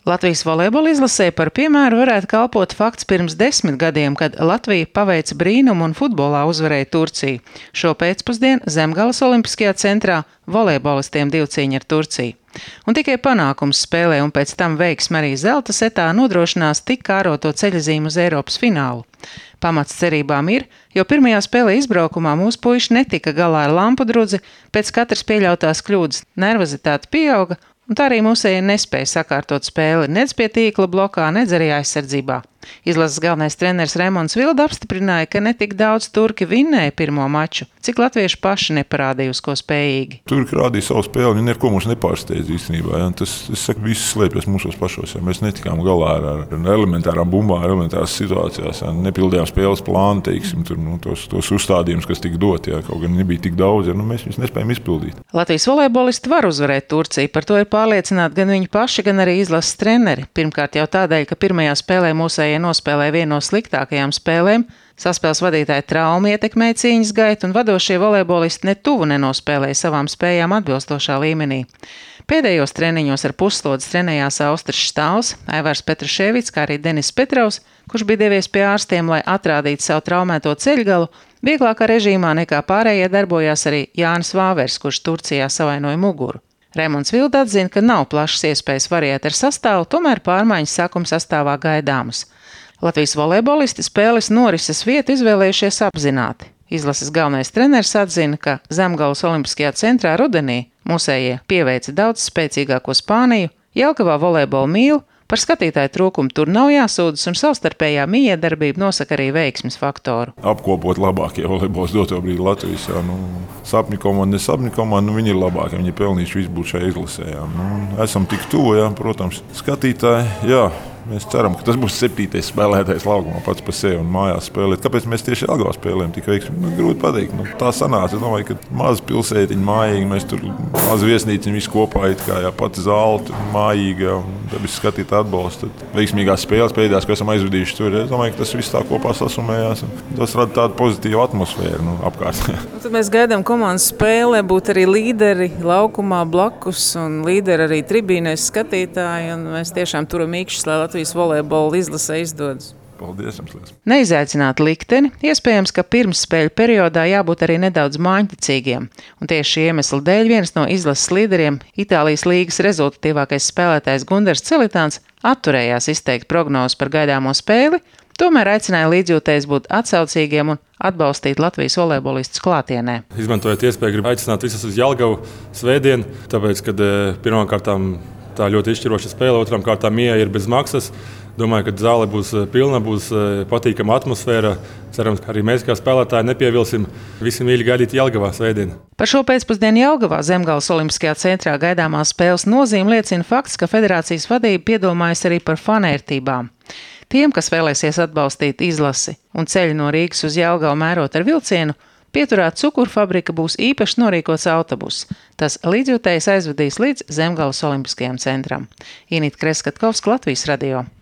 Latvijas volejbola izlasē par piemēru varētu kalpot fakts pirms 10 gadiem, kad Latvija paveica brīnumu un futbolā uzvarēja Turciju. Šo pēcpusdienu Zemgales Olimpiskajā centrā volejbolistiem divcīņa ar Turciju. Un tikai panākums spēlē un pēc tam veiksme arī zelta setā nodrošinās tik kāroto ceļazīmu uz Eiropas finālu. Pamats cerībām ir, jo pirmajā spēlē izbraukumā mūsu puiši netika galā ar lampu drudzi, pēc katras pieļautās kļūdas nervozitāte pieauga, un tā arī mūsēji nespēja sakārtot spēli nec pie tīkla blokā, nec arī aizsardzībā. Izlases galvenais treneris Raimonds Vilda apstiprināja, ka ne tik daudz turki vinnēja pirmo maču, cik latvieši paši neparādīja, uz ko spējīgi. Turki rādīja savu spēli, viņi neko mums nepārsteidz īstenībā. Ja? Tas viss slēpjas mūsos pašos. Ja? Mēs netikām galā ar elementārām bumbām, elementārās situācijās. Ja? Nepildījām spēles plānu, teiksim, tos uzstādījumus, kas tika dot. Ja? Kaut gan nebija tik daudz, ja? Mēs viņus nespējam izpildīt. Latvijas volejbolisti var uzvarēt Turciju, par to ir pārliecināti gan viņi paši, gan arī izlases treneri. Pirmkārt jau tādēļ, ka pirmajā spēlē mūsējie nospēlēja vienu no sliktākajām spēlēm, saspēles vadītāja trauma ietekmēja cīņas gaitu un vadošie volejbolisti ne tuvu nenospēlēja savām spējām atbilstošā līmenī. Pēdējos treniņos ar puslodes trenējās Austris Štāls, Aivars Petruševics, kā arī Denis Petrovs, kurš bija devies pie ārstiem, lai atrādītu savu traumēto ceļgalu. Vieglākā režīmā nekā pārējie darbojās arī Jānis Vāvers, kurš Turcijā savainoja muguru. Raimonds Vilda atzina, ka nav plašas iespējas variēt ar sastāvu, tomēr pārmaiņas sākuma sastāvā gaidāmas. Latvijas volejbolisti spēles norises vietu izvēlējušies apzināti. Izlases galvenais treneris atzina, ka Zemgales Olimpiskajā centrā rudenī mūsējie pieveica daudz spēcīgāko Spāniju, Jelgavā volejbolu mīl, par skatītāju trūkumu tur nav jāsūdzas un savstarpējā mijiedarbība nosaka arī veiksmes faktoru. Apkopot labākie volejbols doto brīdi Latvijas. Sapņu komanda, nesapņu komanda, viņi ir labākie, viņi ir pelnījuši visu būt šajā izlasē. Esam tik tuvu, protams, skatītāji, mēs ceram, ka tas būs 7. spēlētājs laukumā pats par sevi un mājās spēlēt. Kāpēc mēs tieši Jelgavā spēlējam tik veiksmīgi? Grūti pateikt. Tā sanāca. Es domāju, ka maza pilsētiņa mājīga, mēs tur maza viesnīciņa visi kopā, pati zāle mājīga un dabis skatītāji atbalsta. Veiksmīgās spēles pēdējās, ko esam aizvadījuši tur. Es domāju, ka tas viss tā kopā sasumējās. Tas rada tādu pozitīvu atmosfēru apkārt. Tad mēs gaidām komandas spēlē būt arī līderi laukumā blakus un līderi arī tribīnēs skatītāji. Un mēs tiešām turam īkšķis, lai Latvijas volejbola izlasē izdodas. Paldies jums! Neizaicināt likteni, iespējams, ka pirmsspēļu periodā jābūt arī nedaudz māņticīgiem. Un tieši šī iemesla dēļ viens no izlases līderiem, Itālijas līgas rezultatīvākais spēlētājs Gundars Celitāns, atturējās izteikt prognozes par gaidāmo spēli, tomēr aicināja līdzjūtējus būt atsaucīgiem un atbalstīt Latvijas volejbolistus klātienē. Izmantojot iespēju, gribu aicināt visus uz Jelgavu svētdien, tāpēc, kad pirmām kārtām tā ļoti izšķiroša spēle, otrām kārtām ieeja ir bez maksas. Domāju, ka zāle būs pilna, būs patīkama atmosfēra. Cerams, ka arī mēs kā spēlētāji nepievilsim. Visi mīļi gaidīt Jelgavā svētdien. Par šo pēcpusdienu Jelgavā Zemgales Olimpiskajā centrā gaidāmās spēles nozīme liecina fakts, ka federācijas vadība piedomājas arī par fanērtībām. Tiem, kas vēlēsies atbalstīt izlasi un ceļu no Rīgas uz Jelgavu mērot ar vilcienu, pieturā cukurfabrika būs īpaši norīkots autobus. Tas līdzjūtējs aizvedīs līdz Zemgales Olimpiskajam centram. Inita Kreskatkovska, Latvijas radio.